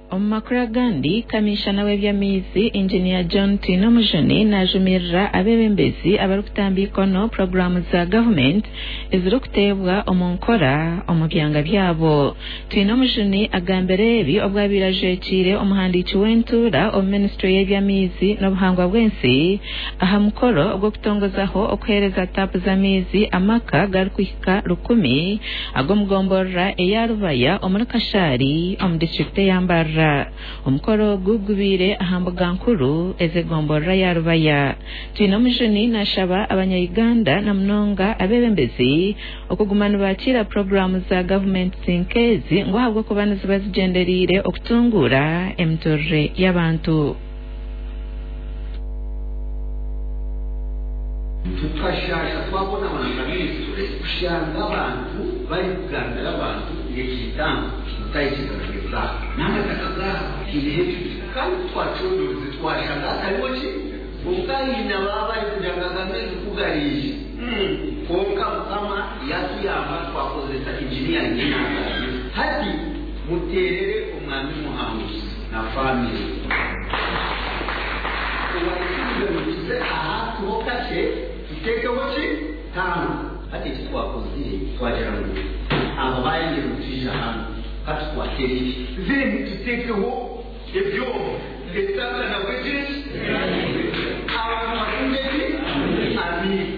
Omu makuru agandi, Kamiishana w'eby'amaizi, Engineer John Twinomujuni naajumirira abeebembezi abarikutamba eikono puroguraamu za gavumenti ezirikuteebwa omu nkora omu byanga byabo. Twinomujuni agambire ebi obu abaire ajwekiire omuhandiiki w'entuura omu minisitule y'eby'amaizi n'obuhangwa bw'ensi aha mukoro ogw'okutongozaho okuheereza taapu z'amaizi amaka garikuhika rukumi ag'omugomborora eya Rubaya omuri Kashari omu disiturikiti eya Mbarara. Omukoro ogu gubaire aha mbuga nkuru ez'egomborora ya Rubaya. Twinomujuni nashaba abanya-Uganda na munonga abeebembezi okuguma nibakiira puroguraamu za gavumenti nk'ezi ngu ahabw'okuba niziba zigyendereire okutunguura emiturire y'abantu. Tukashaasha twabona abantu abaizire kushanga abantu barikugambira abantu ngu egi tanka mutayikiriza n'amataka gaabo haineho ebibira kandi kutwacondooza twashanga hatariho ki kwonka haine ababa barikugira ngu aga maizi kugariija kwonka Mukama yatuyamba twakozesa engineering y'enangaanisa hati muteerere omwami Muhanguzi na famire. Owaikirize ngu tuze aha tuho kakye tuteekeho ki tanka. Hati eki twakozire twagira ngu aba bayangire ngu twija hanu ka tukwate ebibi. Then tuteekeho ebyoma etanka nabwo egire ki abantu batunge ki amaizi.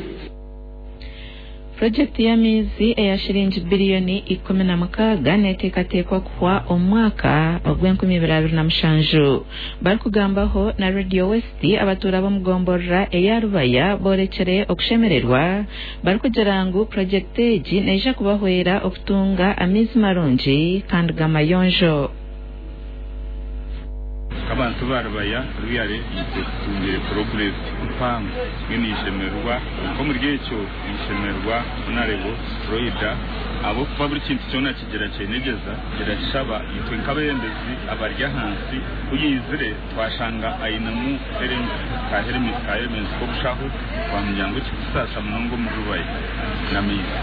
Purojekiti y'amaizi eya shiringi biriyoni 16 neteekateekwa kuhwa omu mwaka ogw'enkumibiri abiri na mushanju. Barikugambaho na Radio West, abatuura b'omugomborora eya Rubaya borekire okushemererwa barikugira ngu purojekiti egi neija kubahwera okutunga amaizi marungi kandi g'amayonjo. Abantu ba Rubaya ruyare itwe tutungire progress mpango. Mbwenu nishemererwa nk'omuri ekyo, nishemererwa Honorable Loida ahabw'okuba buri kintu kyona kigira kyenegyeza kirashaba itwe nk'abeebembezi abari ahansi. Ku yaizire twashanga ainemu ka helmet k'obushaho, twamugira ngu ekikutusaasa munonga omuri Rubaya n'amaizi.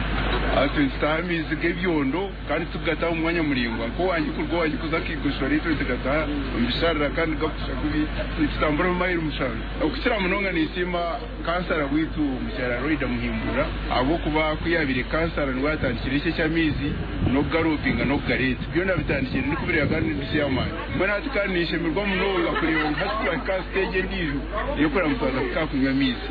Nitutaha amaizi g'ebyondo kandi tugataha omu mwanya muraingwa, nk'owangye kuruga owangye kuza Kaigoshora, itwe tugataha omu bisharara kandi gakusha kubi, nitutambura mayiro 7. Okukira munonga ninsiima kansara waitu mukyara Loida Muhimbura, ahabw'okuba ku yabaire kansara niwe yatandikire eki eky'amaizi n'okugaroopinga n'okugareeta. Byona bitandikire ndikubireba kandi nibisya amaani. Mbwenu hati kandi ninshemererwa munonga kureeba ngu hati twahika aha stage endiijo ey'okureba ngu twaza kutaha kunywa amaizi.